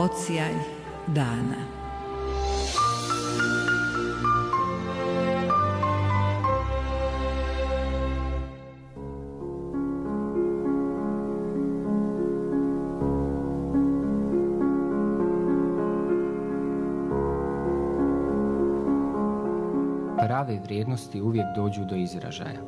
odsjaj dana. Prave vrijednosti uvijek dođu do izražaja.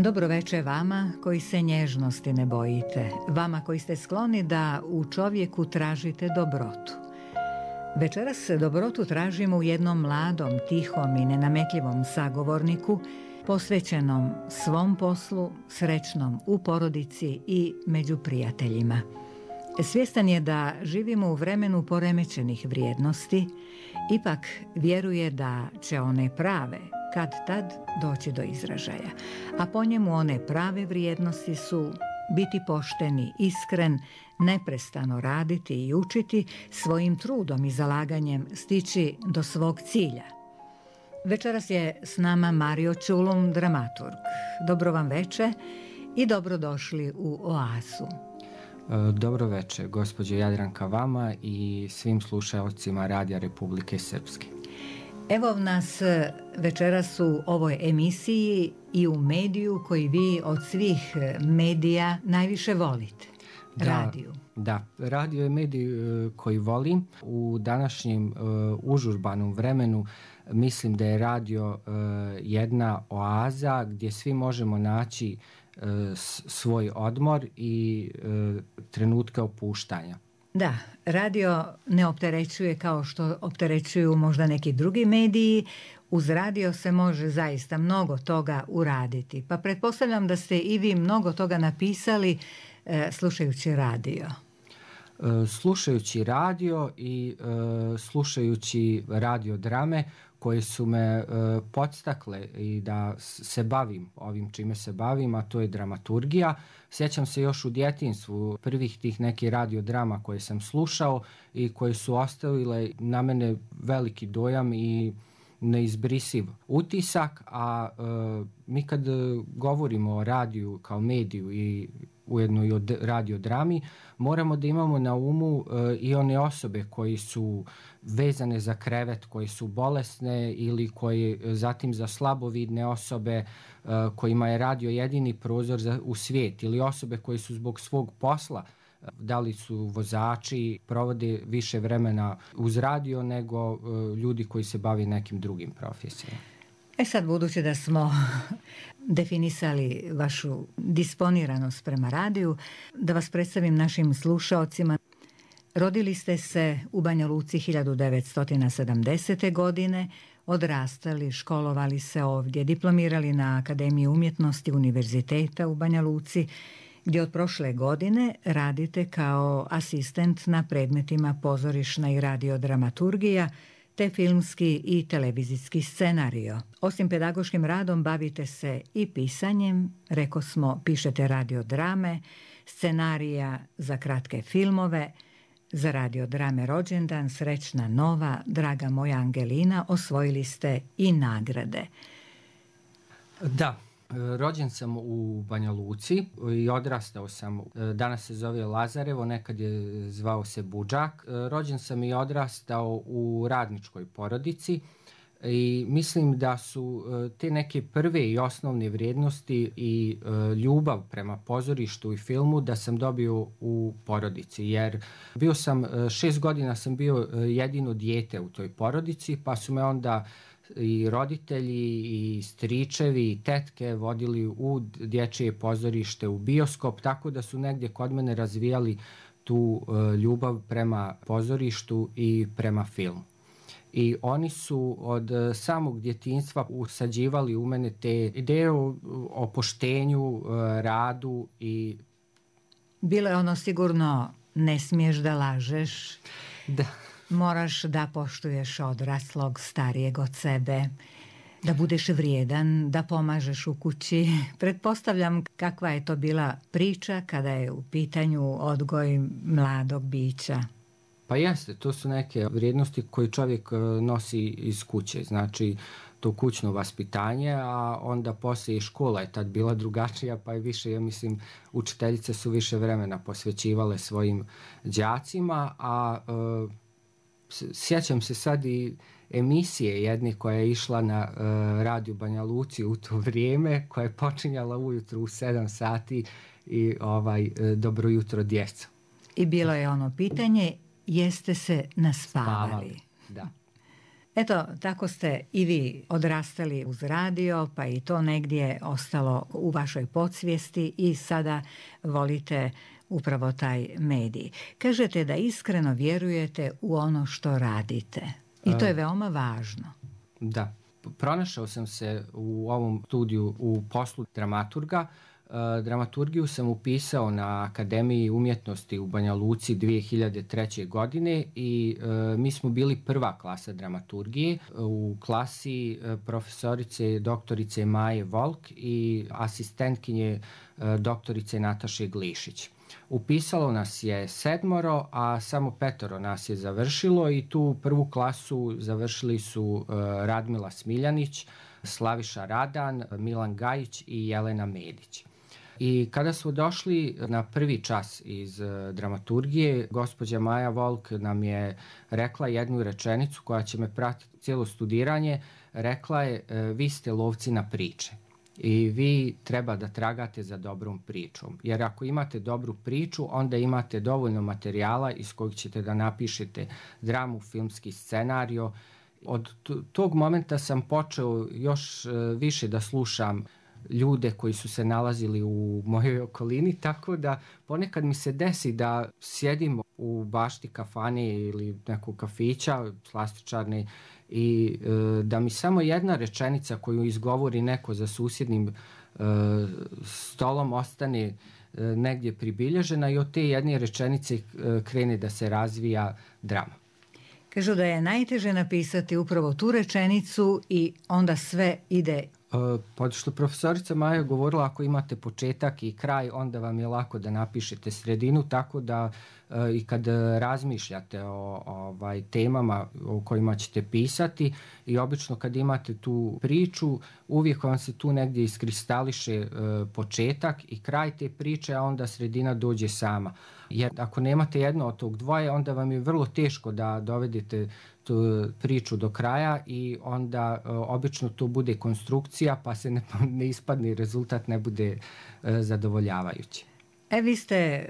Dobro večer vama koji se nježnosti ne bojite, vama koji ste skloni da u čovjeku tražite dobrotu. Večeras dobrotu tražimo u jednom mladom, tihom i nenametljivom sagovorniku, posvećenom svom poslu, srećnom u porodici i među prijateljima. Svjestan je da živimo u vremenu poremećenih vrijednosti, ipak vjeruje da će one prave kad tad doći do izražaja. A po njemu one prave vrijednosti su biti pošteni, iskren, neprestano raditi i učiti, svojim trudom i zalaganjem stići do svog cilja. Večeras je s nama Mario Čulum, dramaturg. Dobro vam večer i dobrodošli u Oazu. Dobro večer, gospođo Jadranka, vama i svim slušaocima Radija Republike Srpske. Evo nas večeras u ovoj emisiji i u mediju koji vi od svih medija najviše volite. Radiju. Da, radio je medij koji volim. U današnjem užurbanom vremenu mislim da je radio jedna oaza gdje svi možemo naći svoj odmor i trenutke opuštanja. Da, radio ne opterećuje kao što opterećuju možda neki drugi mediji. Uz radio se može zaista mnogo toga uraditi. Pa pretpostavljam da ste i vi mnogo toga napisali slušajući radio. Slušajući radio i slušajući radio drame koje su me podstakle i da se bavim ovim čime se bavim, a to je dramaturgija. Sjećam se još u djetinjstvu prvih tih nekih radio drama koje sam slušao i koje su ostavile na mene veliki dojam i neizbrisiv utisak, a mi kad govorimo o radiju kao mediju i ujedno i o radiodrami, moramo da imamo na umu i one osobe koji su vezane za krevet, koji su bolesne ili koji zatim za slabovidne osobe kojima je radio jedini prozor u svijet, ili osobe koji su zbog svog posla, da li su vozači, provode više vremena uz radio nego ljudi koji se bave nekim drugim profesijama. Sad, budući da smo definisali vašu disponiranost prema radiju, da vas predstavim našim slušaocima. Rodili ste se u Banja Luci 1970. godine, odrastali, školovali se ovdje, diplomirali na Akademiji umjetnosti Univerziteta u Banja Luci, gdje od prošle godine radite kao asistent na predmetima pozorišna i radiodramaturgija, te filmski i televizijski scenario. Osim pedagoškim radom bavite se i pisanjem, reko smo, pišete radiodrame, scenarija za kratke filmove, za radiodrame Rođendan, Srećna nova, Draga moja Angelina, osvojili ste i nagrade. Da. Rođen sam u Banja Luci i odrastao sam, danas se zove Lazarevo, nekad je zvao se Budžak. Rođen sam i odrastao u radničkoj porodici i mislim da su te neke prve i osnovne vrijednosti i ljubav prema pozorištu i filmu da sam dobio u porodici, jer bio sam 6 godina sam bio jedino dijete u toj porodici, pa su me onda i roditelji i stričevi i tetke vodili u dječje pozorište, u bioskop, tako da su negdje kod mene razvijali tu ljubav prema pozorištu i prema filmu. I oni su od samog djetinjstva usađivali u mene te ideje o poštenju, radu i... Bilo je ono sigurno ne smiješ da lažeš. Da. Moraš da poštuješ odraslog, starijeg od sebe, da budeš vrijedan, da pomažeš u kući. Pretpostavljam kakva je to bila priča kada je u pitanju odgoj mladog bića. Pa jeste, to su neke vrijednosti koje čovjek nosi iz kuće, znači to kućno vaspitanje, a onda poslije i škola je tad bila drugačija, pa je više, ja mislim, učiteljice su više vremena posvećivale svojim đacima, a sjećam se sad i emisije jedne koja je išla na radiju Banja Luci u to vrijeme, koja je počinjala ujutro u 7 sati i dobro jutro djeco. I bilo je ono pitanje, jeste se naspavali? Da. Eto, tako ste i vi odrastali uz radio, pa i to negdje ostalo u vašoj podsvijesti i sada volite upravo taj medij. Kažete da iskreno vjerujete u ono što radite. I to je veoma važno. Da. Pronašao sam se u ovom studiju u poslu dramaturga. Dramaturgiju sam upisao na Akademiji umjetnosti u Banja Luci 2003. godine i mi smo bili prva klasa dramaturgije u klasi profesorice doktorice Maje Volk i asistentkinje doktorice Nataše Glišić. Upisalo nas je 7, a samo 5 nas je završilo i tu prvu klasu završili su Radmila Smiljanić, Slaviša Radan, Milan Gajić i Jelena Medić. I kada smo došli na prvi čas iz dramaturgije, gospođa Maja Volk nam je rekla jednu rečenicu koja će me pratiti cijelo studiranje. Rekla je, vi ste lovci na priče i vi treba da tragate za dobrom pričom. Jer ako imate dobru priču, onda imate dovoljno materijala iz kojeg ćete da napišete dramu, filmski scenario. Od tog momenta sam počeo još više da slušam ljude koji su se nalazili u mojoj okolini, tako da ponekad mi se desi da sjedim u bašti kafane ili nekog kafića, slastičarne, i da mi samo jedna rečenica koju izgovori neko za susjednim stolom ostane negdje pribilježena i od te jedne rečenice krene da se razvija drama. Kažu da je najteže napisati upravo tu rečenicu i onda sve ide. Pa što profesorica Maja govorila, ako imate početak i kraj, onda vam je lako da napišete sredinu, tako da i kad razmišljate o temama o kojima ćete pisati i obično kad imate tu priču, uvijek vam se tu negdje iskristališe početak i kraj te priče, a onda sredina dođe sama. Jer ako nemate jedno od tog dvoje, onda vam je vrlo teško da dovedete tu priču do kraja i onda obično to bude konstrukcija, pa se ne ispadne, rezultat ne bude zadovoljavajući. Vi ste,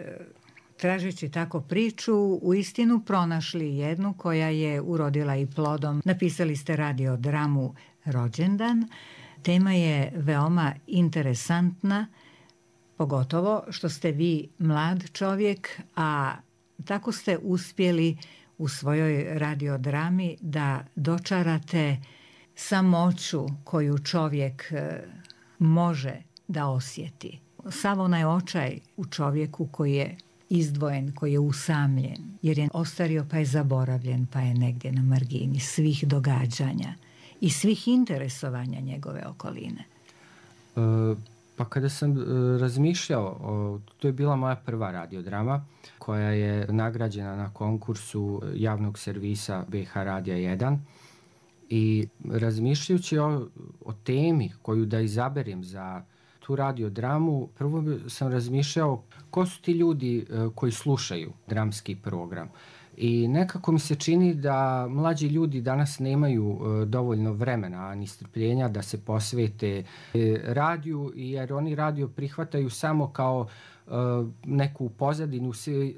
tražeći tako priču, uistinu pronašli jednu koja je urodila i plodom. Napisali ste radiodramu Rođendan. Tema je veoma interesantna, pogotovo što ste vi mlad čovjek, a tako ste uspjeli u svojoj radiodrami da dočarate samoću koju čovjek može da osjeti. Sav onaj očaj u čovjeku koji je izdvojen, koji je usamljen, jer je ostario pa je zaboravljen, pa je negdje na margini svih događanja i svih interesovanja njegove okoline. Pa kada sam razmišljao, to je bila moja prva radiodrama koja je nagrađena na konkursu javnog servisa BH Radija 1 i razmišljajući o temi koju da izaberem za tu radiodramu, prvo sam razmišljao ko su ti ljudi koji slušaju dramski program. I nekako mi se čini da mlađi ljudi danas nemaju dovoljno vremena ni strpljenja da se posvete radiju, jer oni radio prihvataju samo kao neku pozadinu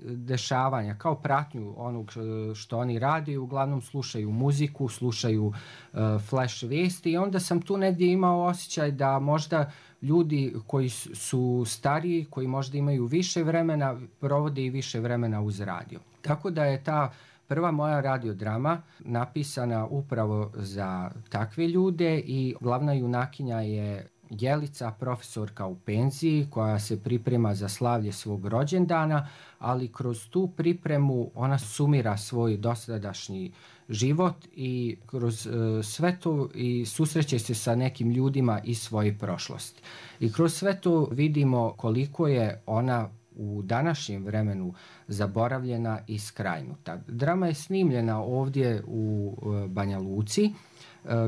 dešavanja, kao pratnju onog što oni rade. Uglavnom slušaju muziku, slušaju flash vijesti i onda sam tu negdje imao osjećaj da možda ljudi koji su stariji, koji možda imaju više vremena, provode i više vremena uz radio. Tako da je ta prva moja radiodrama napisana upravo za takve ljude i glavna junakinja je Jelica, profesorka u penziji koja se priprema za slavlje svog rođendana, ali kroz tu pripremu ona sumira svoj dosadašnji život i kroz sve to i susreće se sa nekim ljudima iz svoje prošlosti. I kroz sve to vidimo koliko je ona u današnjem vremenu zaboravljena i skrajnuta. Drama je snimljena ovdje u Banja Luci.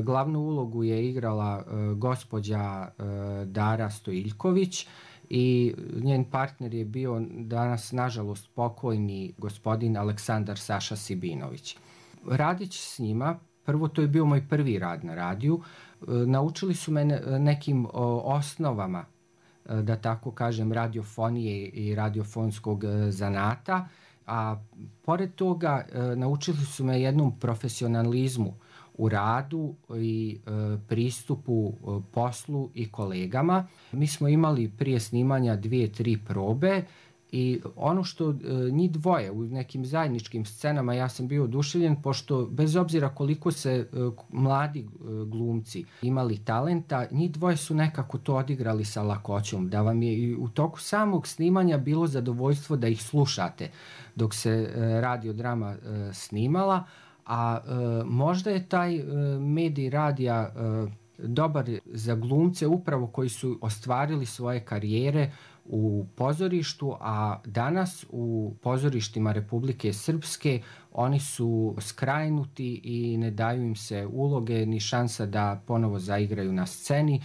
Glavnu ulogu je igrala gospođa Dara Stojiljković i njen partner je bio danas nažalost pokojni gospodin Aleksandar Saša Sibinović. Radeći s njima, prvo to je bio moj prvi rad na radiju, naučili su me nekim osnovama, da tako kažem, radiofonije i radiofonskog zanata, a pored toga naučili su me jednom profesionalizmu u radu i pristupu poslu i kolegama. Mi smo imali prije snimanja 2-3 probe i ono što njih dvoje u nekim zajedničkim scenama, ja sam bio oduševljen, pošto bez obzira koliko se mladi glumci imali talenta, njih dvoje su nekako to odigrali sa lakoćom, da vam je i u toku samog snimanja bilo zadovoljstvo da ih slušate dok se radiodrama snimala, a možda je taj medij radija dobar za glumce upravo koji su ostvarili svoje karijere u pozorištu, a danas u pozorištima Republike Srpske oni su skrajnuti i ne daju im se uloge ni šansa da ponovo zaigraju na sceni.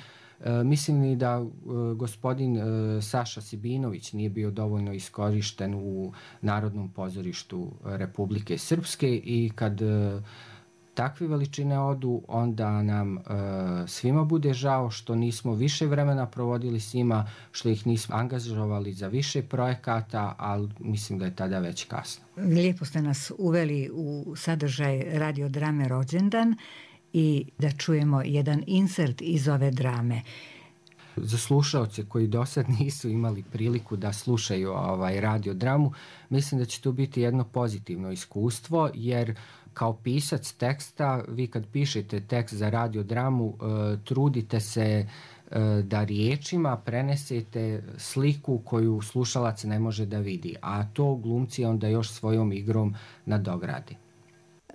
Mislim i da gospodin Saša Sibinović nije bio dovoljno iskorišten u Narodnom pozorištu Republike Srpske i kad takve veličine odu, onda nam svima bude žao što nismo više vremena provodili s njima, što ih nismo angažovali za više projekata, ali mislim da je tada već kasno. Lijepo ste nas uveli u sadržaj radiodrame Rođendan i da čujemo jedan insert iz ove drame. Za slušaoce koji do sad nisu imali priliku da slušaju radiodramu, mislim da će to biti jedno pozitivno iskustvo, jer kao pisac teksta, vi kad pišete tekst za radiodramu, trudite se da riječima prenesete sliku koju slušalac ne može da vidi, a to glumci onda još svojom igrom nadogradi.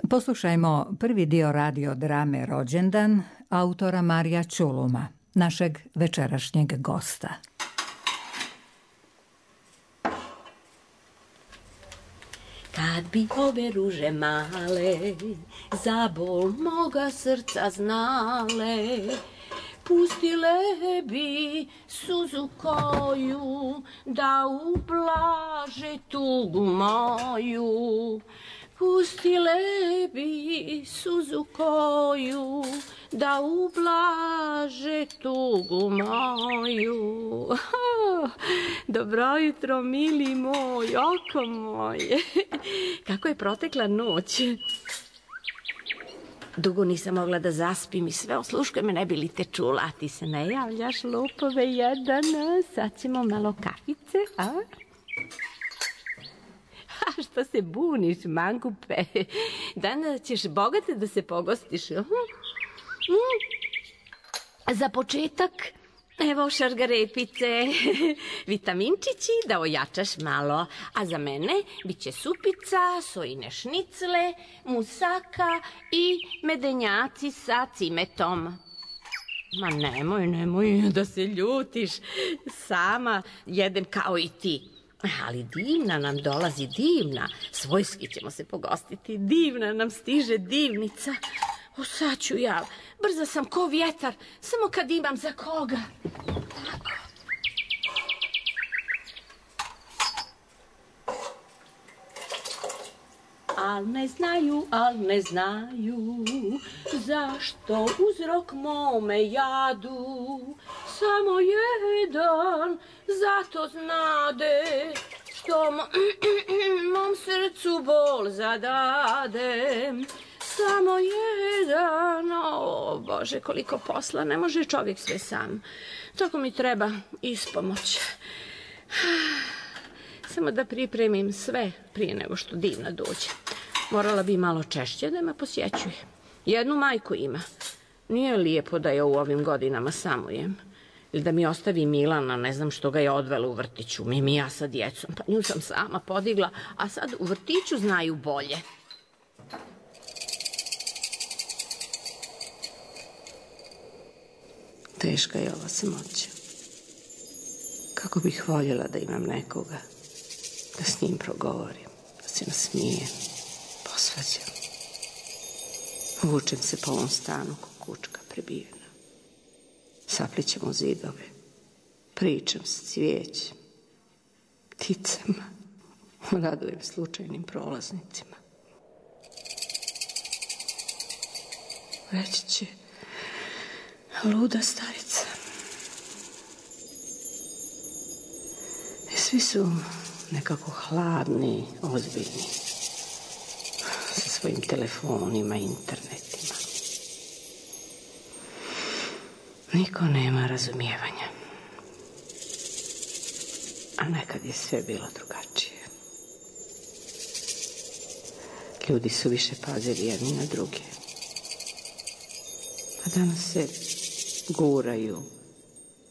Poslušajmo prvi dio radiodrame Rođendan autora Marija Čuluma, našeg večerašnjeg gosta. Kad bi ove ruže male za bol moga srca znale, pustile bi suzu koju da ublaže tugu moju. Pustile bi suzu koju da ublaže tugu moju. Dobro jutro, mili moj, oko moje. Kako je protekla noć. Dugo nisam mogla da zaspim i sve osluškuje me, ne bi li te čula. A ti se ne javljaš, lopove jedan. Sad ćemo malo kafice, a? A što se buniš, mangupe? Danas ćeš bogate da se pogostiš. Za početak, evo šargarepice, vitaminčići da ojačaš malo. A za mene bit će supica, sojine šnicle, musaka i medenjaci sa cimetom. Ma nemoj da se ljutiš. Sama jedem kao i ti. Ali divna nam dolazi, divna. Svojski ćemo se pogostiti. Divna nam stiže divnica. O, sad ću ja. Brza sam ko vjetar. Samo kad imam za koga. Tako. Al ne znaju zašto uzrok mome jadu. Samo jedan zato znade što mom srcu bol zadade. Samo jedan, o Bože, koliko posla, ne može čovjek sve sam. Tako mi treba ispomoć. Samo da pripremim sve prije nego što divna dođe. Morala bi malo češće da me posjećuje. Jednu majku ima. Nije lijepo da je u ovim godinama samujem. Ili da mi ostavi Milana, ne znam što ga je odvela u vrtiću. Mimija sa djecom, pa nju sam sama podigla, a sad u vrtiću znaju bolje. Teška je ova samoća. Kako bih voljela da imam nekoga Da s njim progovorim, da se nasmijem, posvađam. Vučem se po ovom stanu ko kučka prebijena. Saplićem u zidove, pričam s cvijećem, pticama, radujem slučajnim prolaznicima. Reći će, luda starica. I svi su nekako hladni, ozbiljni, sa svojim telefonima, internetima. Niko nema razumijevanja. A nekad je sve bilo drugačije. Ljudi su više pazili jedni na druge. A danas se guraju,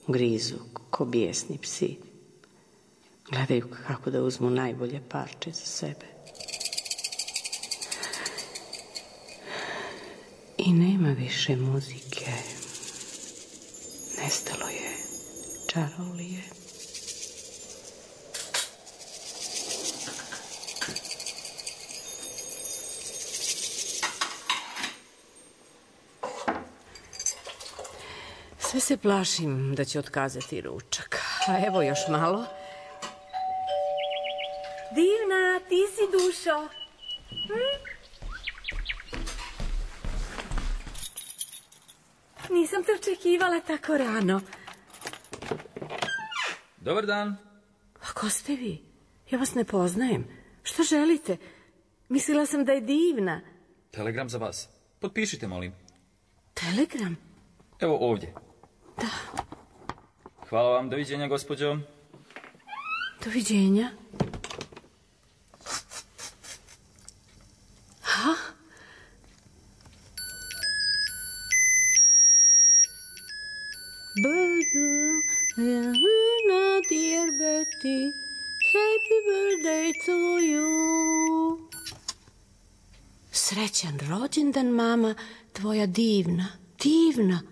grizu ko bijesni psi. Gledaju kako da uzmu najbolje parče za sebe. I nema više muzike. Nestalo je čarolije. Sve se plašim da će otkazati ručak. A evo još malo. Divna, ti si dušo. Nisam te očekivala tako rano. Dobar dan. A ko ste vi? Ja vas ne poznajem. Što želite? Mislila sam da je Divna. Telegram za vas. Potpišite, molim. Telegram? Evo ovdje. Da. Hvala vam, doviđenja, gospođo. Doviđenja. Ha? Dear Betty, happy birthday to you. Srećan rođendan, mama, tvoja Divna. Divna.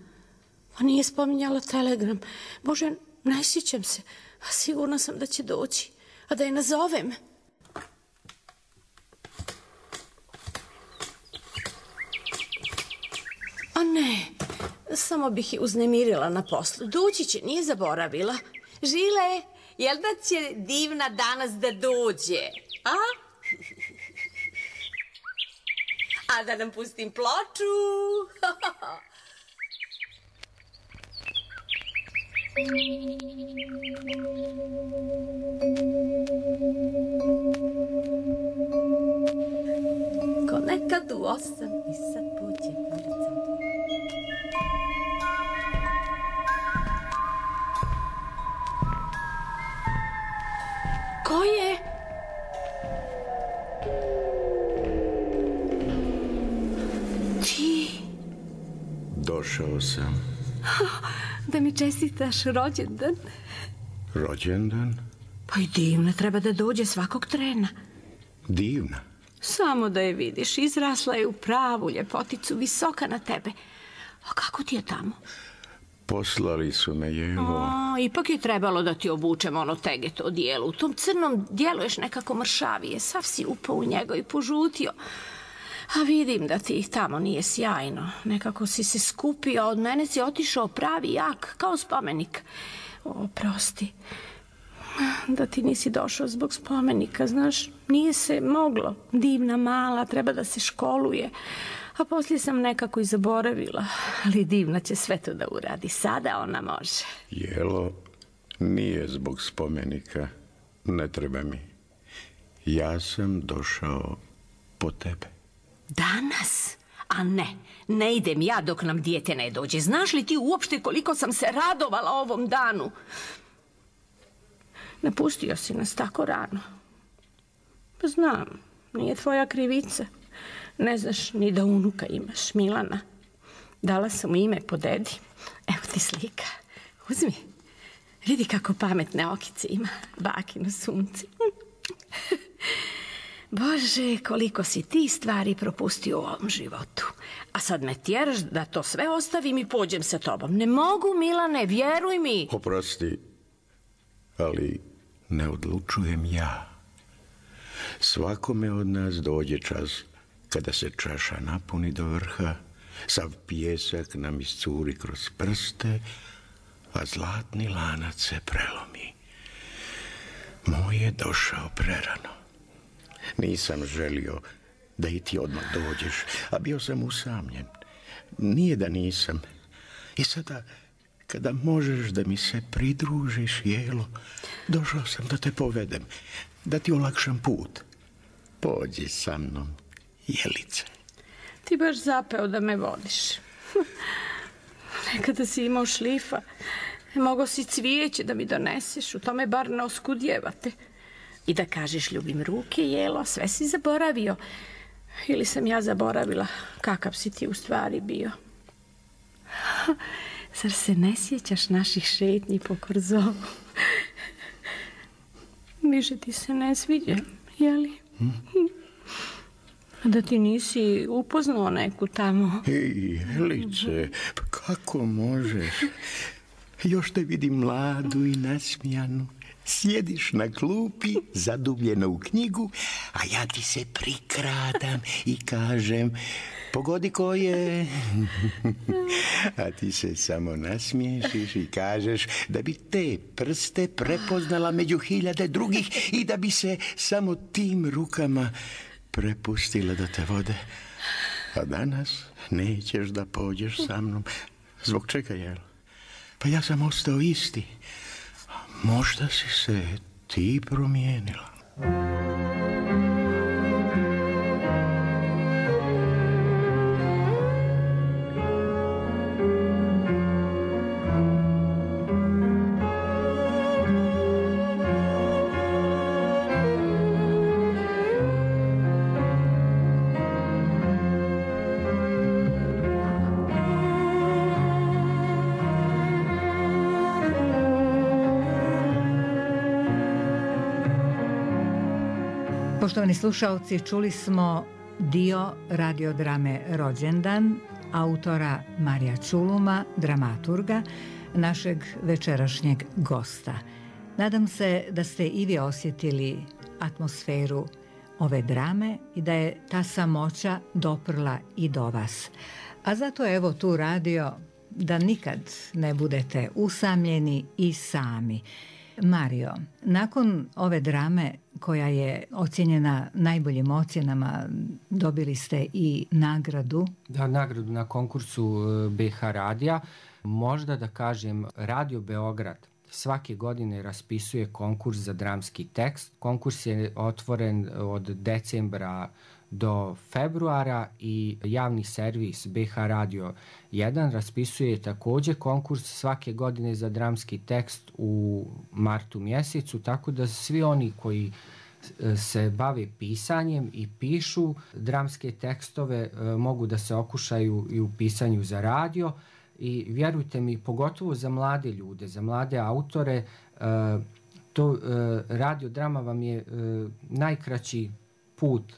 Pa nije spominjala telegram. Bože, ne sjećam se. A sigurna sam da će doći. A da je nazovem. A ne, samo bih je uznemirila na poslu. Doći će, nije zaboravila. Žile, jel da će Divna danas da dođe? A? A da nam pustim ploču? Ko nekad u 8 i sad pođe ulicom. Ko je? Ti? Došao sam. Da mi čestitaš rođendan. Rođendan? Pa i Divna treba da dođe svakog trena. Divna? Samo da je vidiš, izrasla je u pravu ljepoticu, visoka na tebe. A kako ti je tamo? Poslali su me, Jevo. Ipak je trebalo da ti obučem ono tegeto odijelo. U tom crnom djeluješ nekako mršavije. Sav si upao u njega i požutio. A vidim da ti tamo nije sjajno. Nekako si se skupio, a od mene si otišao pravi jak, kao spomenik. Oprosti. Da ti nisi došao zbog spomenika, znaš, nije se moglo. Divna, mala, treba da se školuje. A poslije sam nekako i zaboravila. Ali Divna će sve to da uradi. Sada ona može. Jelo, nije zbog spomenika. Ne treba mi. Ja sam došao po tebe. Danas? A ne idem ja dok nam dijete ne dođe. Znaš li ti uopšte koliko sam se radovala ovom danu? Napustio si nas tako rano. Pa znam, nije tvoja krivica. Ne znaš ni da unuka imaš, Milana. Dala sam mu ime po dedi. Evo ti slika. Uzmi. Vidi kako pametne okice ima. Bakino sunce. Bože, koliko si ti stvari propustio u ovom životu. A sad me tjeraš da to sve ostavim i pođem sa tobom. Ne mogu, Milane, vjeruj mi. Oprosti, ali ne odlučujem ja, Svakome od nas dođe čas kada se čaša napuni do vrha, sav pijesak nam iscuri kroz prste, a zlatni lanac se prelomi. Moj je došao prerano. Nisam želio da i ti odmah dođeš, a bio sam usamljen. Nije da nisam. I sada, kada možeš da mi se pridružiš, Jelo, došao sam da te povedem, da ti olakšam put. Pođi sa mnom, Jelice. Ti baš zapeo da me vodiš. Nekada si imao šlifa, mogao si cvijeće da mi doneseš, u tome bar ne oskudjevate. I da kažeš ljubim ruke, Jelo, sve si zaboravio. Ili sam ja zaboravila kakav si ti u stvari bio. Zar se ne sjećaš naših šetnji po Korzovu? Više ti se ne sviđa, jeli? Da ti nisi upoznao neku tamo. Jelice, pa kako možeš? Još te vidim mladu i nasmijanu. Sjediš na klupi, zadubljeno u knjigu, a ja ti se prikradam i kažem, pogodi ko je. A ti se samo nasmiješiš i kažeš da bi te prste prepoznala među hiljade drugih i da bi se samo tim rukama prepustila da te vode. A danas nećeš da pođeš sa mnom. Zbog čega, jel? Pa ja sam ostao isti. Možda si se ti promijenila. Poštovani slušaoci, čuli smo dio radiodrame Rođendan autora Marija Čuluma, dramaturga, našeg večerašnjeg gosta. Nadam se da ste i vi osjetili atmosferu ove drame i da je ta samoća doprla i do vas. A zato evo tu radio da nikad ne budete usamljeni i sami. Mario, nakon ove drame koja je ocjenjena najboljim ocjenama, dobili ste i nagradu. Da, nagradu na konkursu BH radija. Možda da kažem, Radio Beograd svake godine raspisuje konkurs za dramski tekst. Konkurs je otvoren od decembra do februara i javni servis BH Radio 1 raspisuje također konkurs svake godine za dramski tekst u martu mjesecu, tako da svi oni koji se bave pisanjem i pišu dramske tekstove mogu da se okušaju i u pisanju za radio. I vjerujte mi, pogotovo za mlade ljude, za mlade autore, to radiodrama vam je najkraći put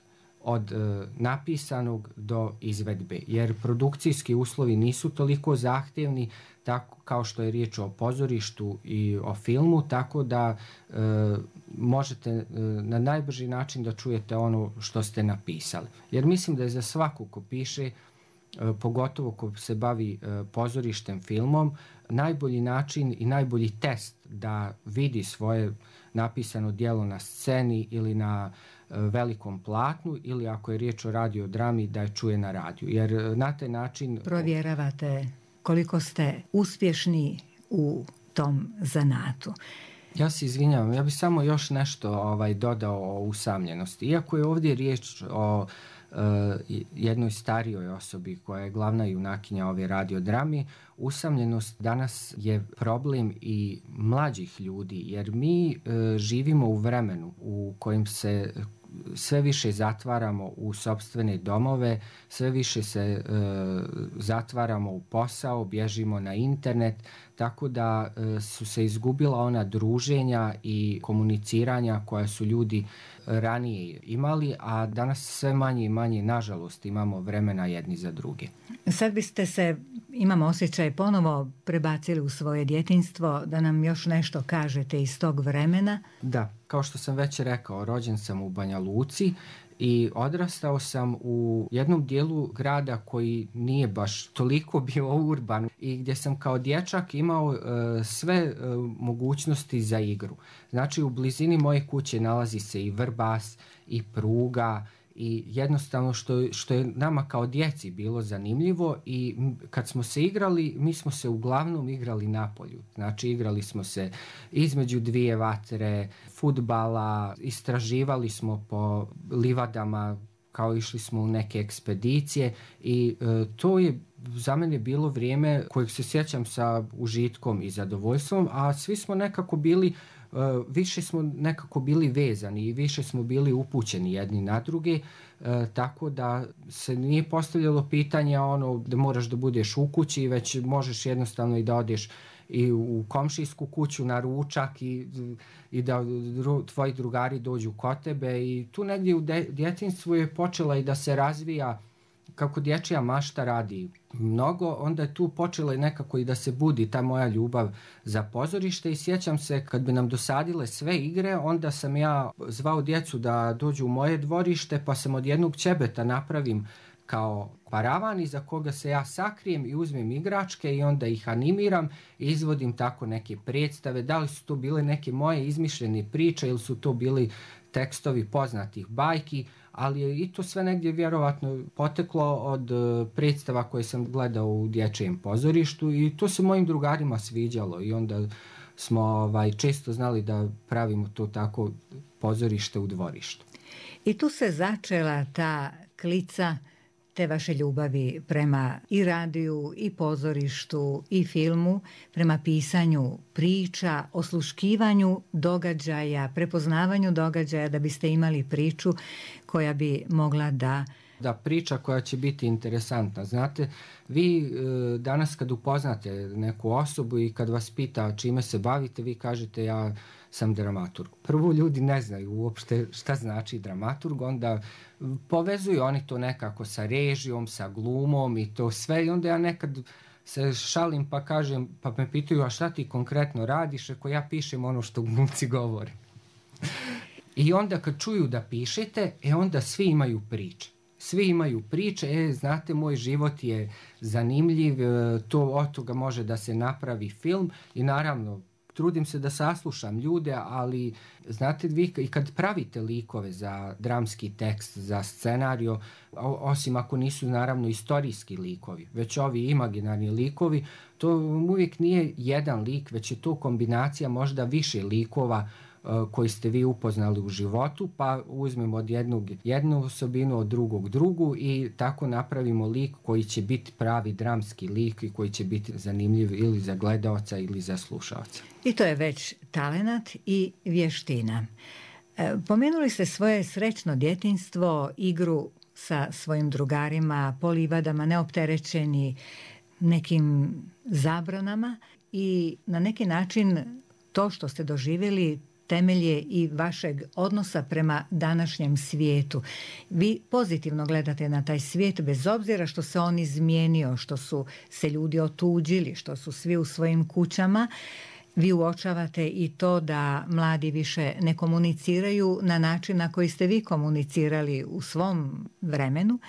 od napisanog do izvedbe, jer produkcijski uslovi nisu toliko zahtjevni tako kao što je riječ o pozorištu i o filmu, tako da možete na najbrži način da čujete ono što ste napisali. Jer mislim da je za svaku ko piše, pogotovo ko se bavi pozorištem, filmom, najbolji način i najbolji test da vidi svoje napisano djelo na sceni ili na velikom platnu, ili ako je riječ o radiodrami, da je čuje na radiju. Jer na taj način provjeravate koliko ste uspješni u tom zanatu. Ja se izvinjavam, ja bih samo još nešto dodao o usamljenosti. Iako je ovdje riječ o jednoj starijoj osobi koja je glavna junakinja ove radiodrami, usamljenost danas je problem i mlađih ljudi, jer mi živimo u vremenu u kojem se sve više zatvaramo u sopstvene domove, sve više se zatvaramo u posao, bježimo na internet, tako da su se izgubila ona druženja i komuniciranja koja su ljudi ranije imali, a danas sve manje i manje, nažalost, imamo vremena jedni za druge. Sad biste se imam osjećaj, ponovo prebacili u svoje djetinjstvo, da nam još nešto kažete iz tog vremena. Da, kao što sam već rekao, rođen sam u Banja Luci i odrastao sam u jednom dijelu grada koji nije baš toliko bio urban i gdje sam kao dječak imao sve mogućnosti za igru. Znači, u blizini moje kuće nalazi se i Vrbas i pruga i jednostavno što je nama kao djeci bilo zanimljivo i kad smo se igrali, mi smo se uglavnom igrali napolju. Znači, igrali smo se između dvije vatre, fudbala, istraživali smo po livadama, kao išli smo u neke ekspedicije i to je za mene bilo vrijeme kojeg se sjećam sa užitkom i zadovoljstvom, a svi smo nekako bili više smo nekako bili vezani i više smo bili upućeni jedni na druge, tako da se nije postavljalo pitanje da moraš da budeš u kući, već možeš jednostavno i da odeš i u komšijsku kuću na ručak i da tvoji drugari dođu kod tebe i tu negdje u djetinjstvu je počela i da se razvija kako dječja mašta radi mnogo, onda je tu počela nekako i da se budi ta moja ljubav za pozorište i sjećam se kad bi nam dosadile sve igre, onda sam ja zvao djecu da dođu u moje dvorište, pa sam od jednog ćebeta napravim kao paravan iza koga se ja sakrijem i uzmem igračke i onda ih animiram i izvodim tako neke predstave. Da li su to bile neke moje izmišljene priče ili su to bili tekstovi poznatih bajki, ali je i to sve negdje vjerovatno poteklo od predstava koje sam gledao u dječjem pozorištu i to se mojim drugarima sviđalo i onda smo često znali da pravimo to tako pozorište u dvorištu. I tu se začela ta klica te vaše ljubavi prema i radiju, i pozorištu, i filmu, prema pisanju priča, osluškivanju događaja, prepoznavanju događaja da biste imali priču koja bi mogla da priča koja će biti interesantna. Znate, vi danas kad upoznate neku osobu i kad vas pita čime se bavite, vi kažete ja sam dramaturg. Prvo, ljudi ne znaju uopšte šta znači dramaturg, onda povezuju oni to nekako sa režijom, sa glumom i to sve i onda ja nekad se šalim pa kažem, pa me pitaju a šta ti konkretno radiš, ako ja pišem ono što glumci govore. I onda kad čuju da pišete, onda svi imaju priče. Svi imaju priče, znate, moj život je zanimljiv, od toga može da se napravi film i naravno trudim se da saslušam ljude, ali znate, vi i kad pravite likove za dramski tekst, za scenariju, osim ako nisu naravno istorijski likovi, već ovi imaginarni likovi, to uvijek nije jedan lik, već je to kombinacija možda više likova koji ste vi upoznali u životu, pa uzmemo od jednu osobinu, od drugog drugu i tako napravimo lik koji će biti pravi dramski lik i koji će biti zanimljiv ili za gledaoca ili za slušaoca. I to je već talenat i vještina. Pomenuli ste svoje srećno djetinjstvo, igru sa svojim drugarima, po livadama, neopterećeni nekim zabranama i na neki način to što ste doživjeli temelje i vašeg odnosa prema današnjem svijetu. Vi pozitivno gledate na taj svijet bez obzira što se on izmijenio, što su se ljudi otuđili, što su svi u svojim kućama. Vi uočavate i to da mladi više ne komuniciraju na način na koji ste vi komunicirali u svom vremenu,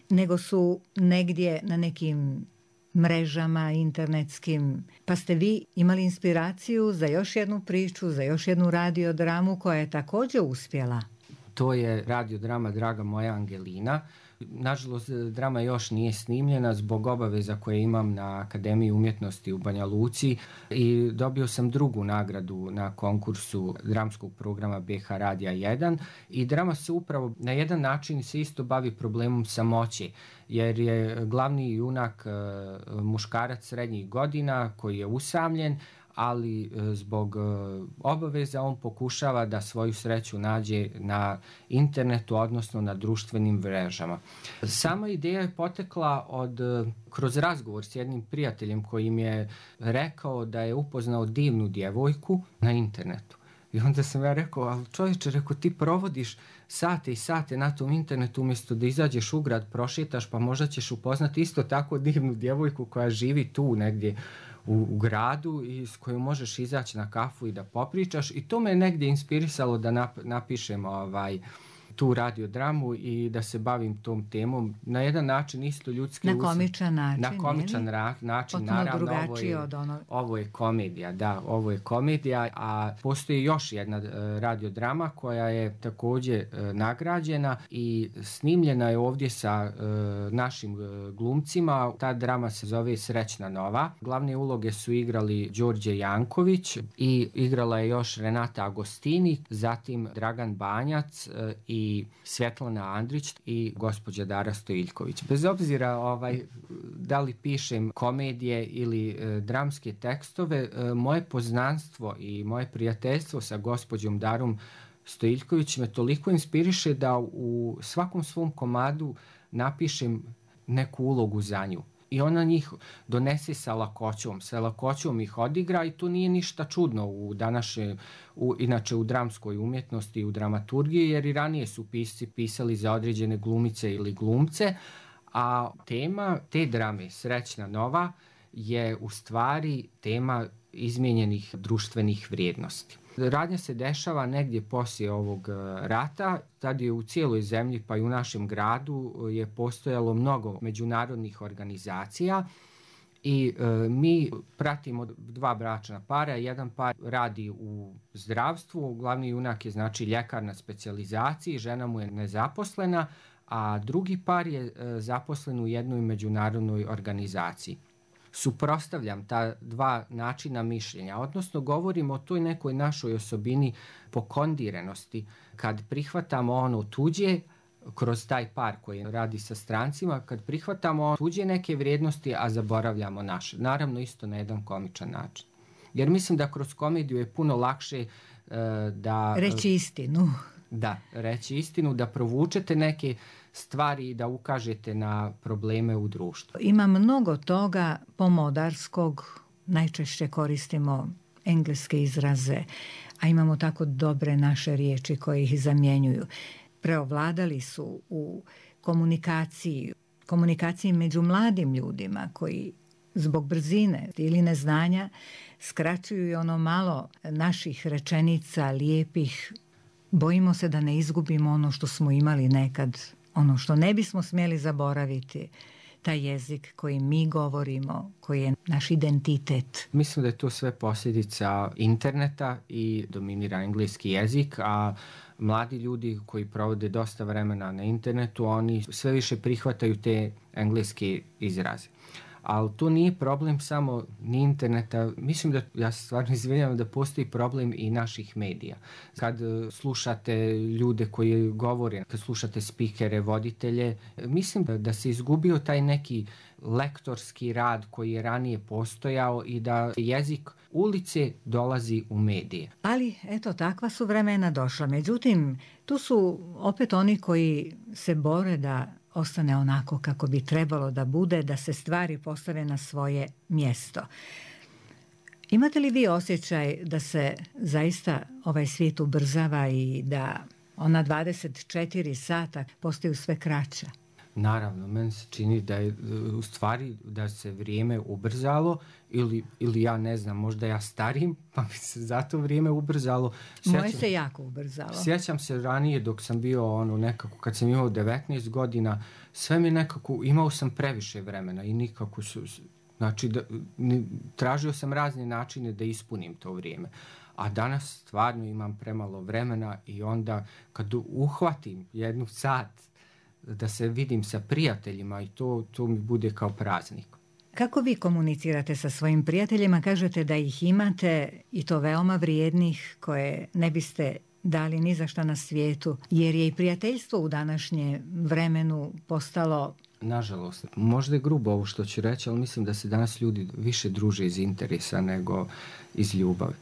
nego su negdje na nekim mrežama internetskim, pa ste vi imali inspiraciju za još jednu priču, za još jednu radiodramu koja je također uspjela. To je radiodrama Draga moja Angelina. Nažalost, drama još nije snimljena zbog obaveza koje imam na Akademiji umjetnosti u Banja Luci i dobio sam drugu nagradu na konkursu dramskog programa BH Radija 1 i drama se upravo na jedan način se isto bavi problemom samoće, jer je glavni junak muškarac srednjih godina koji je usamljen, ali zbog obaveza on pokušava da svoju sreću nađe na internetu, odnosno na društvenim mrežama. Sama ideja je potekla kroz razgovor s jednim prijateljem koji mi je rekao da je upoznao divnu djevojku na internetu. I onda sam ja rekao, ali čovječe, rekao, ti provodiš sate i sate na tom internetu umjesto da izađeš u grad, prošetaš, pa možda ćeš upoznati isto tako divnu djevojku koja živi tu negdje u gradu i s kojom možeš izaći na kafu i da popričaš. I to me je negdje inspirisalo da napišem tu radiodramu i da se bavim tom temom. Na jedan način isto ljudski... Na komičan način. Na komičan način, potpuno naravno. Drugačije od ovo je komedija, da, ovo je komedija, a postoji još jedna radiodrama koja je također nagrađena i snimljena je ovdje sa našim glumcima. Ta drama se zove Srećna nova. Glavne uloge su igrali Đorđe Janković i igrala je još Renata Agostini, zatim Dragan Banjac i Svjetlana Andrić i gospođa Dara Stojiljković. Bez obzira da li pišem komedije ili dramske tekstove, moje poznanstvo i moje prijateljstvo sa gospođom Darom Stojiljković me toliko inspiriše da u svakom svom komadu napišem neku ulogu za nju. I ona njih donese sa lakoćom ih odigra i to nije ništa čudno inače u dramskoj umjetnosti i u dramaturgiji, jer i ranije su pisci pisali za određene glumice ili glumce, a tema te drame Srećna nova je u stvari tema izmijenjenih društvenih vrijednosti. Radnja se dešava negdje poslije ovog rata, tad je u cijeloj zemlji pa i u našem gradu je postojalo mnogo međunarodnih organizacija i mi pratimo 2 bračna para. Jedan par radi u zdravstvu, glavni junak je znači ljekar na specijalizaciji, žena mu je nezaposlena, a drugi par je zaposlen u jednoj međunarodnoj organizaciji. Suprotstavljam ta 2 načina mišljenja, odnosno govorimo o toj nekoj našoj osobini pokondirenosti, kad prihvatamo ono tuđe, kroz taj par koji radi sa strancima, kad prihvatamo tuđe neke vrijednosti, a zaboravljamo naše. Naravno isto na jedan komičan način. Jer mislim da kroz komediju je puno lakše da... Reći istinu. Da, reći istinu, da provučete neke stvari i da ukažete na probleme u društvu. Ima mnogo toga pomodarskog, najčešće koristimo engleske izraze, a imamo tako dobre naše riječi koje ih zamjenjuju. Preovladali su u komunikaciji među mladim ljudima koji zbog brzine ili neznanja skraćuju i ono malo naših rečenica lijepih. Bojimo se da ne izgubimo ono što smo imali nekad, ono što ne bismo smjeli zaboraviti, taj jezik koji mi govorimo, koji je naš identitet. Mislim da je to sve posljedica interneta i dominira engleski jezik, a mladi ljudi koji provode dosta vremena na internetu, oni sve više prihvataju te engleske izraze. Ali to nije problem samo ni interneta. Mislim da, ja se stvarno izvinjavam, da postoji problem i naših medija. Kad slušate ljude koji govore, kad slušate spikere, voditelje, mislim da se izgubio taj neki lektorski rad koji je ranije postojao i da jezik ulice dolazi u medije. Ali, eto, takva su vremena došla. Međutim, tu su opet oni koji se bore da ostane onako kako bi trebalo da bude, da se stvari postave na svoje mjesto. Imate li vi osjećaj da se zaista ovaj svijet ubrzava i da ona 24 sata postaju sve kraća? Naravno, meni se čini da je u stvari da se vrijeme ubrzalo ili ja ne znam, možda ja starim, pa mi se zato vrijeme ubrzalo. Moje se jako ubrzalo. Sjećam se ranije dok sam bio nekako, kad sam imao 19 godina, sve mi nekako, imao sam previše vremena i nikako znači tražio sam razne načine da ispunim to vrijeme. A danas stvarno imam premalo vremena i onda kad uhvatim jednu sat da se vidim sa prijateljima i to mi bude kao praznik. Kako vi komunicirate sa svojim prijateljima? Kažete da ih imate i to veoma vrijednih koje ne biste dali ni za šta na svijetu, jer je i prijateljstvo u današnjem vremenu postalo... Nažalost, možda je grubo ovo što ću reći, ali mislim da se danas ljudi više druže iz interesa nego iz ljubavi.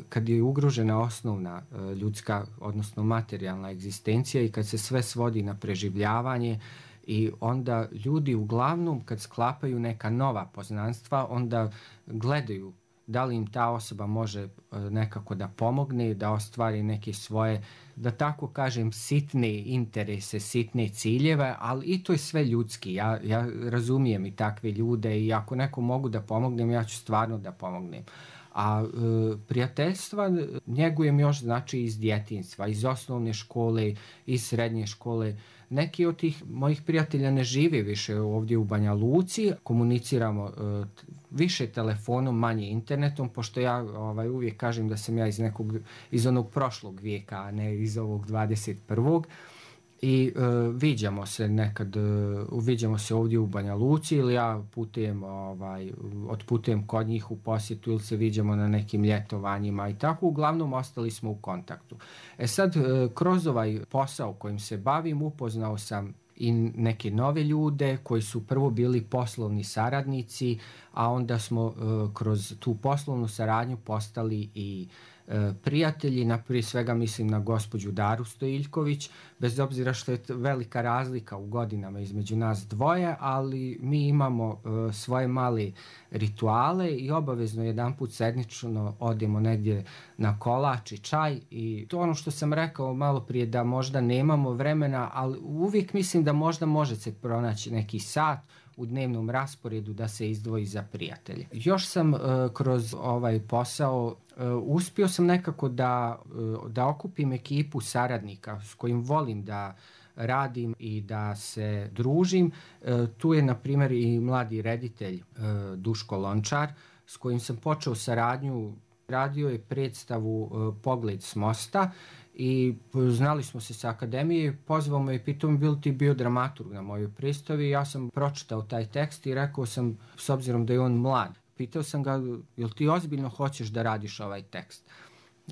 Kad je ugrožena osnovna ljudska, odnosno materijalna egzistencija i kad se sve svodi na preživljavanje, i onda ljudi uglavnom kad sklapaju neka nova poznanstva, onda gledaju da li im ta osoba može nekako da pomogne, da ostvari neke svoje, da tako kažem, sitne interese, sitne ciljeve, ali i to je sve ljudski. Ja razumijem i takve ljude i ako neko mogu da pomognem, ja ću stvarno da pomognem. A prijateljstva njegujem još znači iz djetinjstva, iz osnovne škole, iz srednje škole. Neki od tih mojih prijatelja ne žive više ovdje u Banja Luci, komuniciramo više telefonom, manje internetom, pošto ja uvijek kažem da sam ja iz onog prošlog vijeka, a ne iz ovog 21. I viđamo se ovdje u Banja Luci ili ja otputujem kod njih u posjetu ili se viđamo na nekim ljetovanjima i tako. Uglavnom ostali smo u kontaktu. Sad, kroz ovaj posao kojim se bavim upoznao sam i neke nove ljude koji su prvo bili poslovni saradnici, a onda smo kroz tu poslovnu saradnju postali i prijatelji. Prije svega mislim na gospođu Daru Stojiljković, bez obzira što je velika razlika u godinama između nas dvoje, ali mi imamo svoje male rituale i obavezno jedanput sedmično odemo negdje na kolač i čaj. I to ono što sam rekao malo prije, da možda nemamo vremena, ali uvijek mislim da možda može se pronaći neki sat u dnevnom rasporedu da se izdvoji za prijatelje. Još sam kroz ovaj posao uspio sam nekako da okupim ekipu saradnika s kojim volim da radim i da se družim. Tu je na primjer i mladi reditelj Duško Lončar s kojim sam počeo saradnju. Radio je predstavu Pogled s mosta i znali smo se sa akademije, pozvao me i pitao mi, bil ti bio dramaturg na mojoj predstavi. Ja sam pročitao taj tekst i rekao sam, s obzirom da je on mlad, pitao sam ga, jel ti ozbiljno hoćeš da radiš ovaj tekst?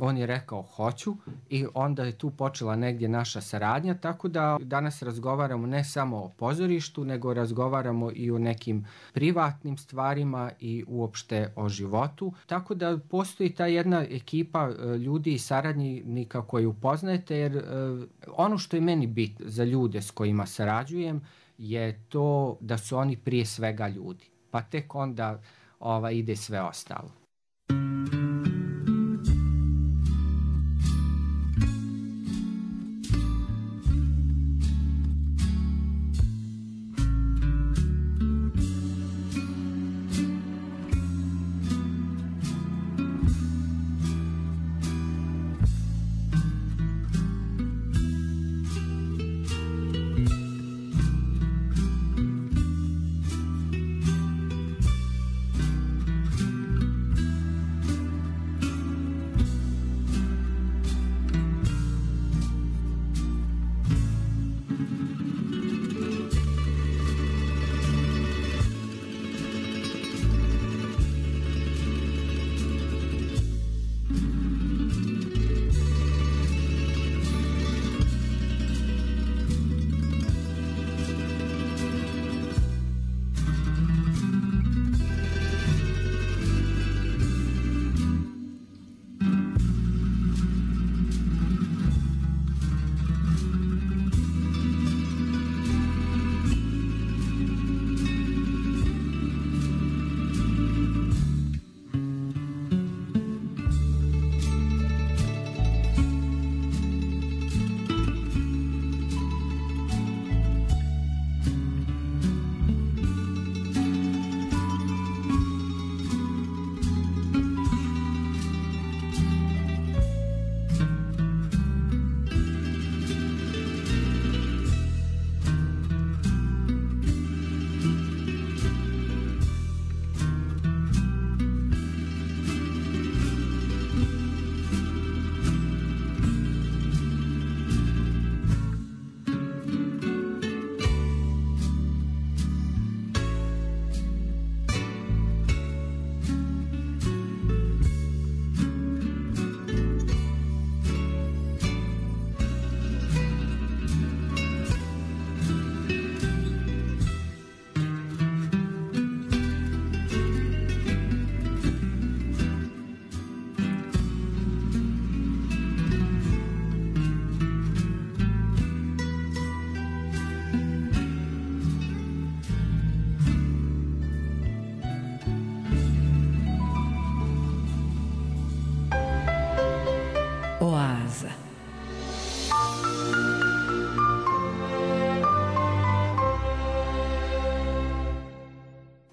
On je rekao hoću i onda je tu počela negdje naša saradnja, tako da danas razgovaramo ne samo o pozorištu, nego razgovaramo i o nekim privatnim stvarima i uopšte o životu. Tako da postoji ta jedna ekipa ljudi i saradnika koju upoznajete, jer ono što je meni bit za ljude s kojima sarađujem je to da su oni prije svega ljudi, pa tek onda ide sve ostalo.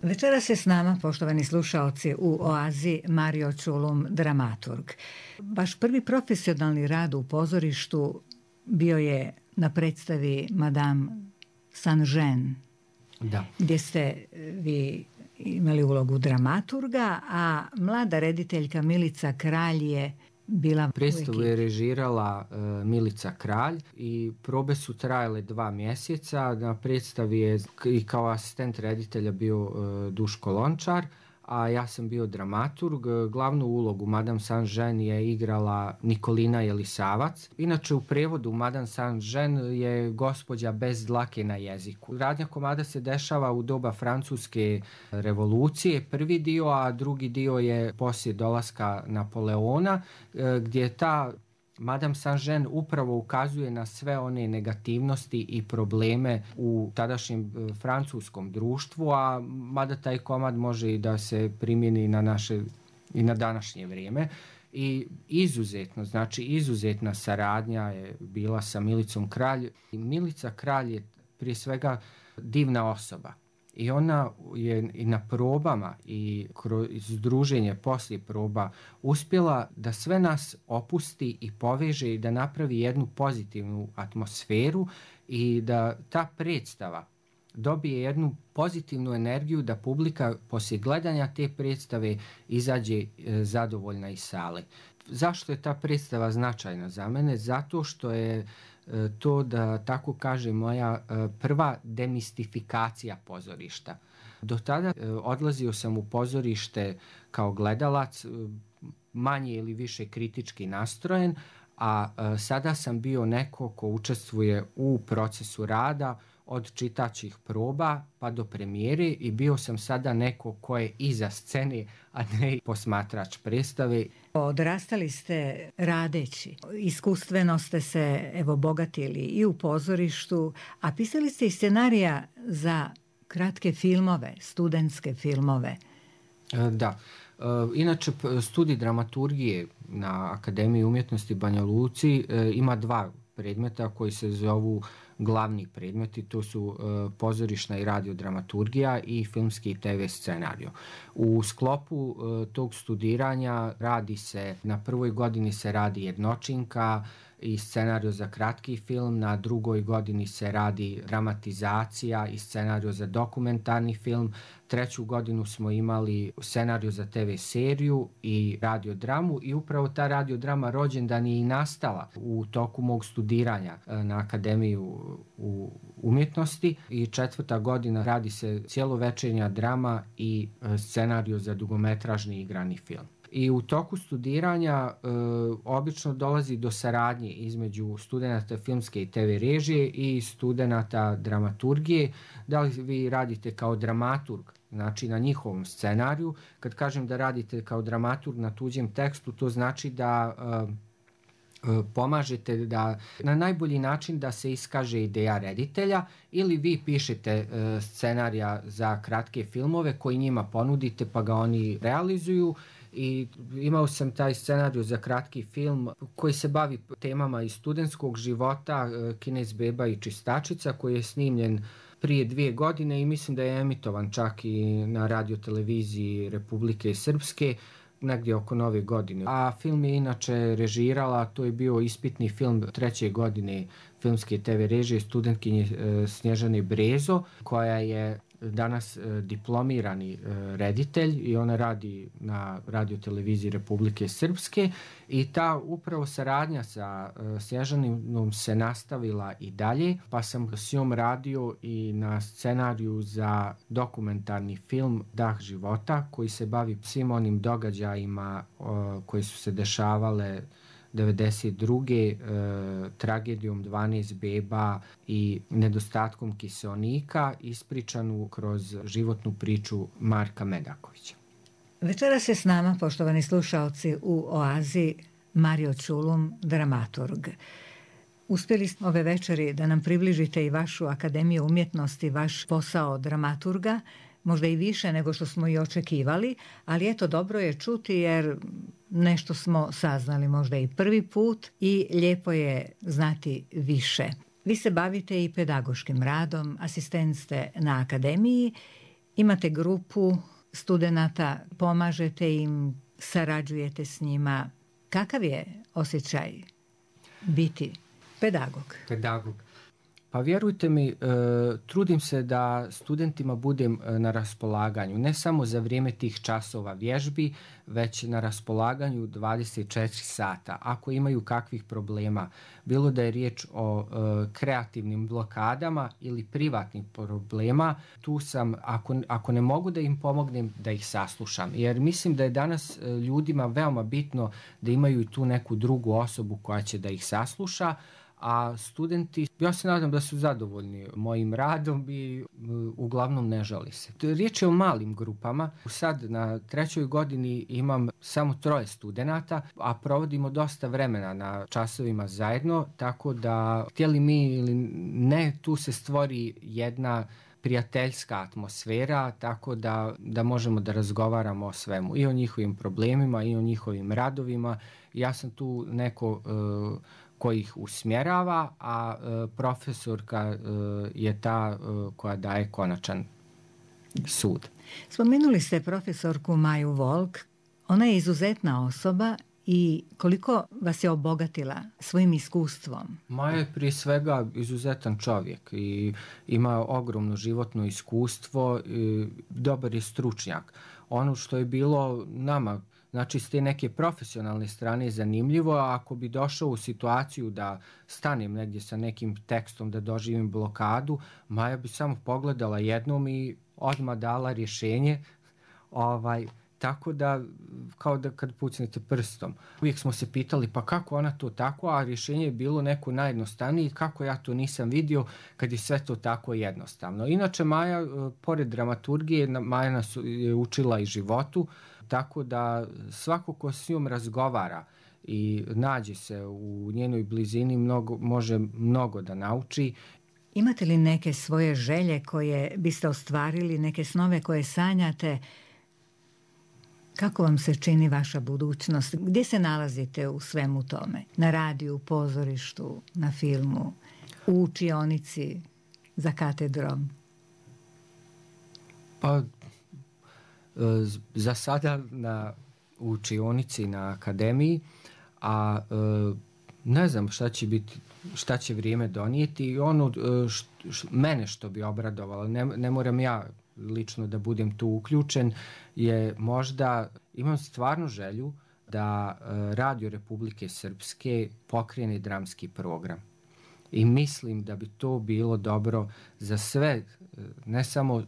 Večeras je s nama, poštovani slušaoci, u Oazi Mario Čulum, dramaturg. Vaš prvi profesionalni rad u pozorištu bio je na predstavi Madame Saint-Jean, Da. gdje ste vi imali ulogu dramaturga, a mlada rediteljka Milica Kralj je bila Predstavu je režirala Milica Kralj i probe su trajale 2 mjeseca. Na predstavi je i kao asistent reditelja bio Duško Lončar, a ja sam bio dramaturg. Glavnu ulogu Madame Saint-Jean je igrala Nikolina Jelisavac. Inače u prevodu Madame Saint-Jean je gospođa bez dlake na jeziku. Radnja komada se dešava u doba Francuske revolucije, prvi dio, a drugi dio je poslije dolaska Napoleona, gdje ta Madame Saint-Jean upravo ukazuje na sve one negativnosti i probleme u tadašnjem francuskom društvu, a mada taj komad može i da se primjeni na naše i na današnje vrijeme. I izuzetna saradnja je bila sa Milicom Kralj. Milica Kralj je prije svega divna osoba. I ona je i na probama i kroz druženje poslije proba uspjela da sve nas opusti i poveže i da napravi jednu pozitivnu atmosferu i da ta predstava dobije jednu pozitivnu energiju, da publika poslije gledanja te predstave izađe zadovoljna iz sale. Zašto je ta predstava značajna za mene? Zato što je to, da tako kažem, moja prva demistifikacija pozorišta. Do tada odlazio sam u pozorište kao gledalac, manje ili više kritički nastrojen, a sada sam bio neko ko učestvuje u procesu rada od čitačih proba pa do premijere i bio sam sada neko ko je iza scene, a ne posmatrač predstave. Odrastali ste radeći, iskustveno ste se bogatili i u pozorištu, a pisali ste i scenarija za kratke filmove, studentske filmove. Da. Inače, studij dramaturgije na Akademiji umjetnosti Banja Luci ima 2 predmeta koji se zovu glavni predmeti. To su pozorišna i radiodramaturgija i filmski i TV scenario. U sklopu tog studiranja radi se, na prvoj godini se radi jednočinka i scenario za kratki film, na drugoj godini se radi dramatizacija i scenario za dokumentarni film, 3. godinu smo imali scenario za TV seriju i radiodramu i upravo ta radiodrama Rođendan je i nastala u toku mog studiranja na Akademiju umjetnosti i 4. godina radi se cjelovečernja drama i scenario za dugometražni igrani film. I u toku studiranja obično dolazi do saradnje između studenata filmske i TV režije i studenata dramaturgije. Da li vi radite kao dramaturg, znači na njihovom scenariju? Kad kažem da radite kao dramaturg na tuđem tekstu, to znači da pomažete da na najbolji način da se iskaže ideja reditelja, ili vi pišete scenarija za kratke filmove koji njima ponudite pa ga oni realizuju. I imao sam taj scenarij za kratki film koji se bavi temama iz studentskog života, Kinez beba i čistačica, koji je snimljen prije 2 godine i mislim da je emitovan čak i na radioteleviziji Republike Srpske negdje oko Nove godine. A film je inače režirala, to je bio ispitni film 3. godine filmske TV režije studentkinje Snježane Brezo, koja je danas diplomirani reditelj i ona radi na radioteleviziji Republike Srpske i ta upravo saradnja sa Snježanom se nastavila i dalje, pa sam s njom radio i na scenariju za dokumentarni film Dah života koji se bavi svim onim događajima koji su se dešavale 1992. Tragedijom 12 beba i nedostatkom kiseonika, ispričanu kroz životnu priču Marka Medakovića. Večeras je s nama, poštovani slušaoci, u Oazi Mario Čulum, dramaturg. Uspjeli smo ove večeri da nam približite i vašu Akademiju umjetnosti, vaš posao dramaturga, možda i više nego što smo i očekivali, ali eto, dobro je čuti jer nešto smo saznali možda i prvi put i lijepo je znati više. Vi se bavite i pedagoškim radom, asistent ste na Akademiji Imate grupu studenata, pomažete im, sarađujete s njima. Kakav je osjećaj biti pedagog? Pedagog. Pa vjerujte mi, trudim se da studentima budem na raspolaganju, ne samo za vrijeme tih časova vježbi, već na raspolaganju 24 sata. Ako imaju kakvih problema, bilo da je riječ o kreativnim blokadama ili privatnih problema, tu sam, ako ne mogu da im pomognem, da ih saslušam. Jer mislim da je danas ljudima veoma bitno da imaju tu neku drugu osobu koja će da ih sasluša, a studenti, ja se nadam da su zadovoljni mojim radom i uglavnom ne žali se. Riječ je o malim grupama. Sad na 3. godini imam samo 3 studenata, a provodimo dosta vremena na časovima zajedno, tako da htjeli mi ili ne, tu se stvori jedna prijateljska atmosfera, tako da možemo da razgovaramo o svemu, i o njihovim problemima i o njihovim radovima. Ja sam tu neko koji ih usmjerava, a profesorka je ta koja daje konačan sud. Spomenuli ste profesorku Maju Volk. Ona je izuzetna osoba i koliko vas je obogatila svojim iskustvom? Maja je prije svega izuzetan čovjek i ima ogromno životno iskustvo, dobar je stručnjak. Ono što je bilo nama, znači s te neke profesionalne strane zanimljivo, a ako bi došao u situaciju da stanem negdje sa nekim tekstom, da doživim blokadu, Maja bi samo pogledala jednom i odmah dala rješenje, tako da, kao da kad pucnete prstom. Uvijek smo se pitali pa kako ona to tako, a rješenje je bilo neko najjednostavnije, kako ja to nisam vidio kad je sve to tako jednostavno. Inače Maja, pored dramaturgije, Maja nas je učila i životu, tako da svako ko s njom razgovara i nađe se u njenoj blizini može mnogo da nauči. Imate li neke svoje želje koje biste ostvarili, neke snove koje sanjate? Kako vam se čini vaša budućnost? Gdje se nalazite u svemu tome? Na radiju, pozorištu, na filmu, u učionici, za katedrom? Pa, za sada u učionici na akademiji, a ne znam šta će vrijeme donijeti. I ono mene što bi obradovalo, ne moram ja lično da budem tu uključen, je možda, imam stvarno želju da Radio Republike Srpske pokrene dramski program. I mislim da bi to bilo dobro za sve, ne samo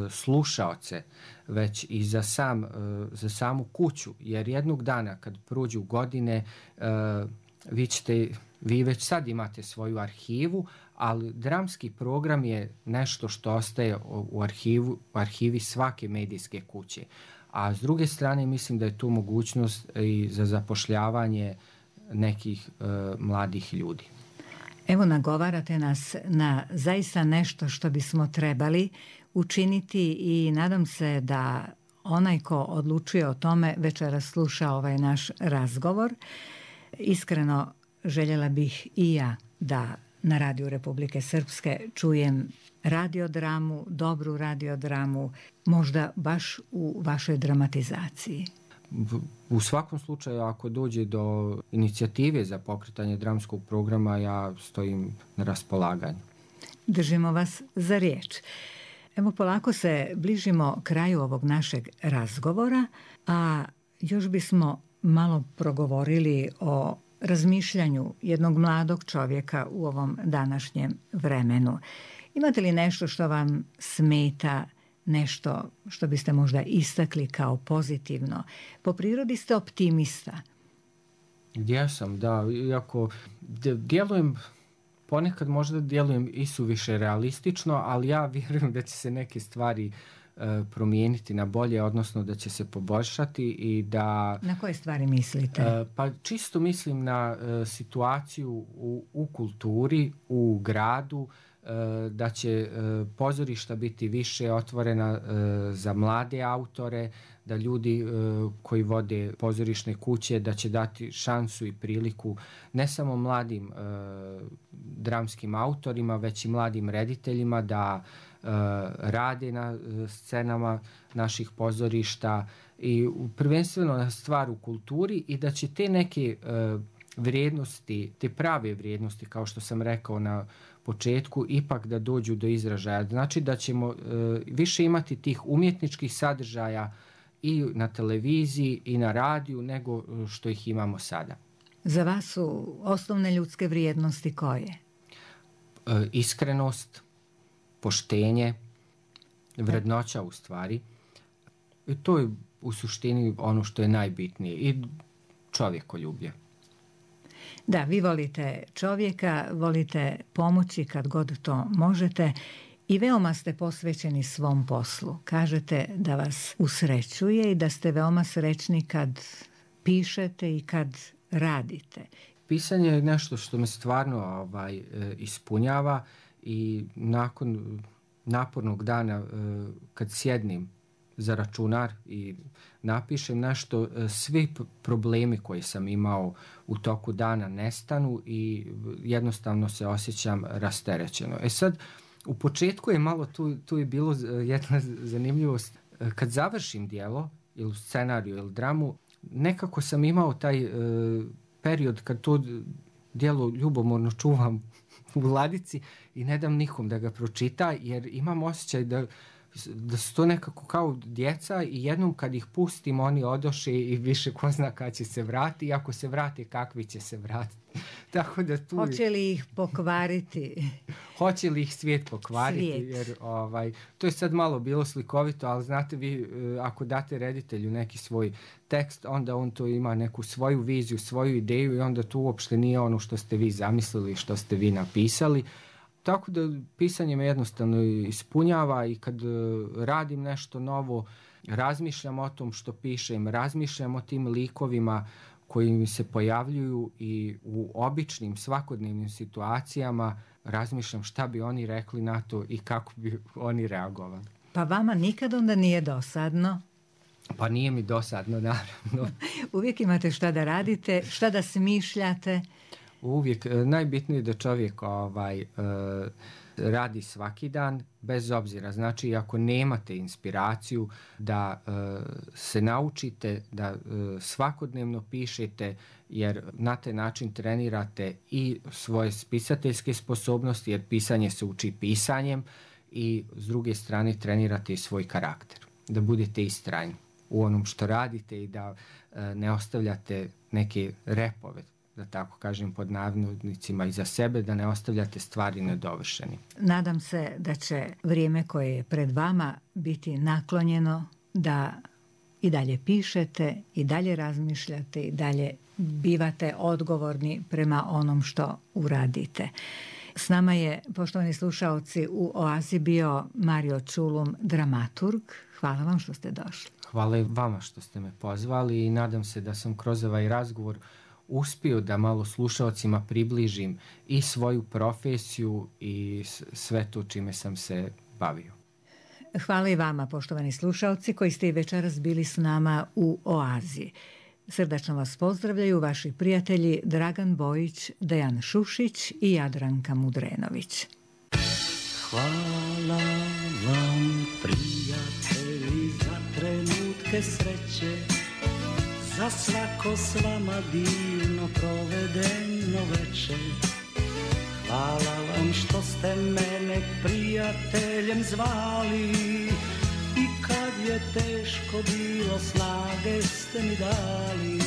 slušaoce, već i za samu kuću. Jer jednog dana kad prođu godine, vi već sad imate svoju arhivu, ali dramski program je nešto što ostaje u arhivi svake medijske kuće. A s druge strane mislim da je tu mogućnost i za zapošljavanje nekih mladih ljudi. Evo, nagovarate nas na zaista nešto što bismo trebali učiniti i nadam se da onaj ko odlučuje o tome večeras sluša ovaj naš razgovor. Iskreno željela bih i ja da na Radiju Republike Srpske čujem radiodramu, dobru radiodramu, možda baš u vašoj dramatizaciji. U svakom slučaju, ako dođe do inicijative za pokretanje dramskog programa, ja stojim na raspolaganju. Držimo vas za riječ. Evo, polako se bližimo kraju ovog našeg razgovora, a još bismo malo progovorili o razmišljanju jednog mladog čovjeka u ovom današnjem vremenu. Imate li nešto što vam smeta, nešto što biste možda istakli kao pozitivno? Po prirodi ste optimista. Jesam, da. Iako djelujem, ponekad možda djelujem i suviše realistično, ali ja vjerujem da će se neke stvari promijeniti na bolje, odnosno da će se poboljšati i da... Na koje stvari mislite? Pa čisto mislim na situaciju u kulturi, u gradu, da će pozorišta biti više otvorena za mlade autore, da ljudi koji vode pozorišne kuće da će dati šansu i priliku ne samo mladim dramskim autorima, već i mladim rediteljima da rade na scenama naših pozorišta i prvenstveno stvar u kulturi i da će te neke vrijednosti, te prave vrijednosti, kao što sam rekao na početku, ipak da dođu do izražaja. Znači da ćemo više imati tih umjetničkih sadržaja i na televiziji i na radiju nego što ih imamo sada. Za vas su osnovne ljudske vrijednosti koje? Iskrenost, poštenje, vrednoća u stvari. I to je u suštini ono što je najbitnije. I čovjekoljublje. Da, vi volite čovjeka, volite pomoći kad god to možete i veoma ste posvećeni svom poslu. Kažete da vas usrećuje i da ste veoma srećni kad pišete i kad radite. Pisanje je nešto što me stvarno ispunjava i nakon napornog dana kad sjednim za računar i napišem nešto, svi problemi koji sam imao u toku dana nestanu i jednostavno se osjećam rasterećeno. Sad, u početku je malo, tu je bilo jedna zanimljivost. Kad završim djelo, ili scenariju, ili dramu, nekako sam imao taj period kad to djelo ljubomorno čuvam u ladici i ne dam nikom da ga pročita, jer imam osjećaj da su to nekako kao djeca i jednom kad ih pustim oni odoše i više ko zna kad će se vratiti i ako se vrate kakvi će se vratiti. Tako da tu... Hoće li ih pokvariti? Hoće li ih svijet pokvariti? Jer to je sad malo bilo slikovito, ali znate vi ako date reditelju neki svoj tekst, onda on to ima neku svoju viziju, svoju ideju i onda tu uopšte nije ono što ste vi zamislili, što ste vi napisali. Tako da pisanje me jednostavno ispunjava i kad radim nešto novo, razmišljam o tom što pišem, razmišljam o tim likovima koji mi se pojavljuju i u običnim svakodnevnim situacijama razmišljam šta bi oni rekli na to i kako bi oni reagovali. Pa vama nikad onda nije dosadno? Pa nije mi dosadno, naravno. Uvijek imate šta da radite, šta da smišljate? Uvijek. Najbitnije je da čovjek radi svaki dan, bez obzira. Znači, ako nemate inspiraciju, da se naučite da svakodnevno pišete, jer na taj način trenirate i svoje spisateljske sposobnosti, jer pisanje se uči pisanjem, i s druge strane trenirate i svoj karakter. Da budete istrajni u onom što radite i da ne ostavljate neke repove, da tako kažem pod navodnicima, iza sebe, da ne ostavljate stvari nedovršeni. Nadam se da će vrijeme koje je pred vama biti naklonjeno da i dalje pišete, i dalje razmišljate, i dalje bivate odgovorni prema onom što uradite. S nama je, poštovani slušaoci, u Oazi bio Mario Čulum, dramaturg. Hvala vam što ste došli. Hvala i vama što ste me pozvali i nadam se da sam kroz ovaj razgovor uspio da malo slušaocima približim i svoju profesiju i sve to čime sam se bavio. Hvala i vama, poštovani slušaoci, koji ste i večeras bili s nama u Oazi. Srdačno vas pozdravljaju vaši prijatelji Dragan Bojić, Dejan Šušić i Jadranka Mudrenović. Hvala vam, prijatelji, za trenutke sreće, za svako s vama divno provedeno večer. Hvala vam što ste mene prijateljem zvali i kad je teško bilo snage ste mi dali.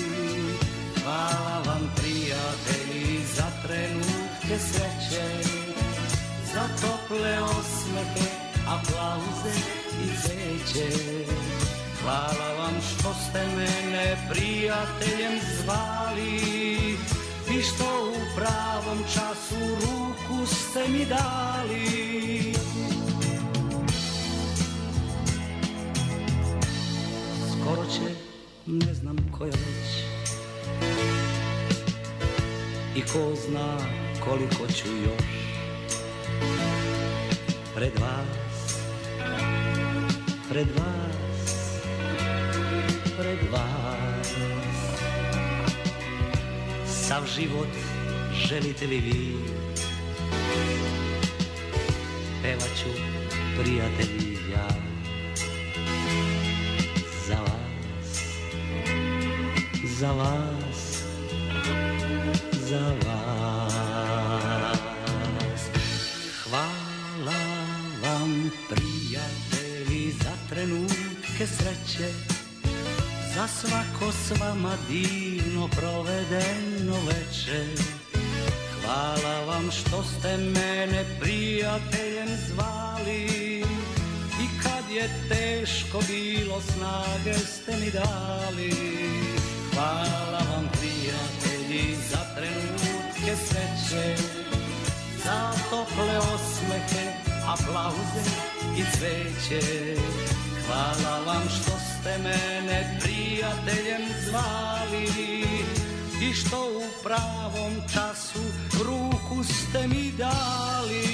Hvala vam, prijatelji, za trenutke sreće, za tople osmehe, aplauze i cveće. Hvala vam što ste mene prijateljem zvali i što u pravom času ruku ste mi dali. Skoro će, ne znam koja već, i ko zna koliko ću još pred vas, pred vas, pred vas. Sav život želite li vi, pevaću prijatelji ja. Za vas, za vas, za vas. Hvala vam prijatelji za trenutke sreće, za svako s vama divno provedeno večer. Hvala vam što ste mene prijateljem zvali i kad je teško bilo snage ste mi dali. Hvala vam prijatelji za trenutke sreće, za tople osmehe, aplauze i cveće. Hvala vam što ste mene prijateljem zvali i što u pravom času ruku ste mi dali.